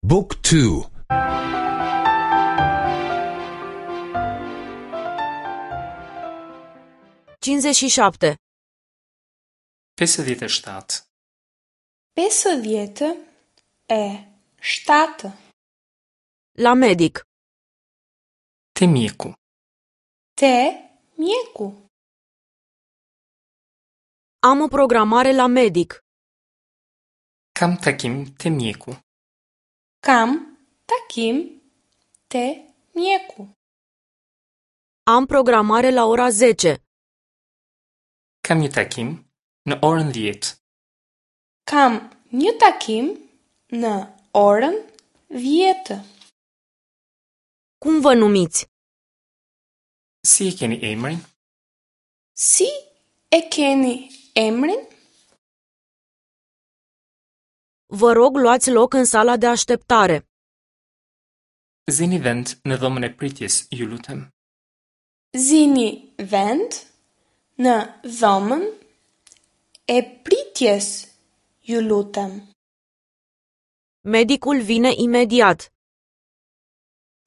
บุ๊กทู 57. 57. 57. La medic. Te mjeku. Te mjeku. Am o programare la medic. Kam takim te mjeku. Kam takim te mjeku. Am programare la ora 10. Kam një takim në orën 10. Kam një takim në orën 10. Cum vă numiți? Si e keni emrin? Si e keni emrin? Vă rog, luați loc în sala de așteptare. Zini vend në dhomën e pritjes, ju lutem. Zini vend në dhomën e pritjes, ju lutem. Medicul vine imediat.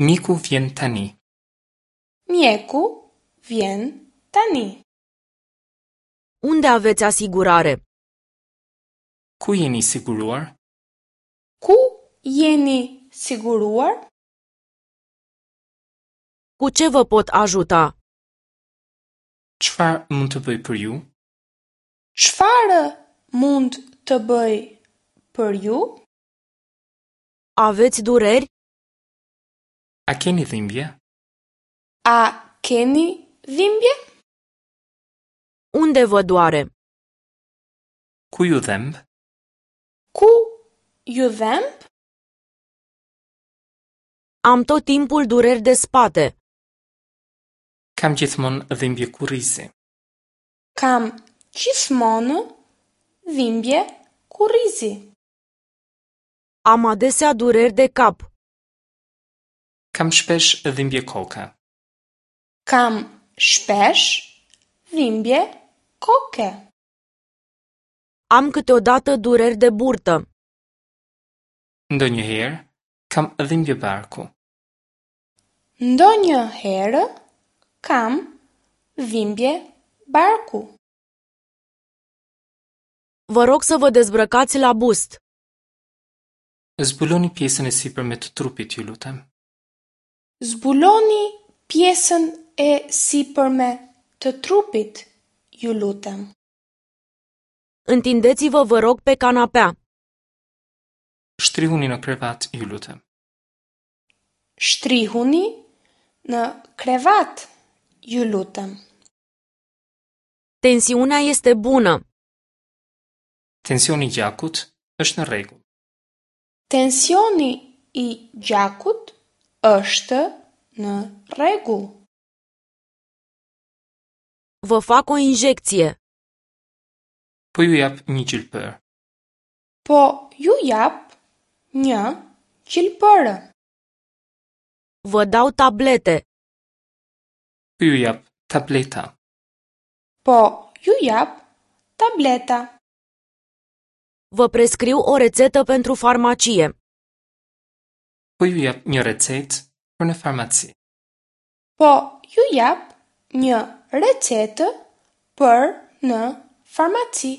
Mjeku vjen tani. Mjeku vjen tani. Unde aveți asigurare? Ku jeni i siguruar? Ku jeni siguruar? Cu ce vă pot ajuta? Çfarë mund të bëj për ju? Çfarë mund të bëj për ju? Aveți dureri? A keni dhimbje? A keni dhimbje? Unde vă doare? Ku ju dhemb? Ku ju dhemb? Am tot timpul dureri de spate. Kam gjithmonë dhimbje kurrizi. Kam gjithmonë dhimbje kurrizi. Am adesea dureri de cap. Kam shpesh dhimbje koke. Kam shpesh dhimbje koke. Am câteodată dureri de burtă. Ndonjëherë kam dhimbje barku. Ndonjëherë kam dhimbje barku. Vă rog să vă dezbrăcați la bust. Zbuloni pjesën e sipërme të trupit, ju lutem. Zbuloni pjesën e sipërme të trupit, ju lutem. Întindeți-vă, vă rog, pe canapea. Shtrihuni në krevat, ju lutem. Shtrihuni në krevat, ju lutem. Tensiunea este bună. Tensioni i gjakut është në rregull. Tensioni i gjakut është në rregull. Vă fac o injecție. Po ju jap një gjilpër. Po ju jap një gjilpërë. Vă dau tablete. Po ju jap tableta. Po ju jap tableta. Vă prescriu o rețetă pentru farmacie. Po ju jap një recetë për në farmaci. Po ju jap një recetë për në farmaci.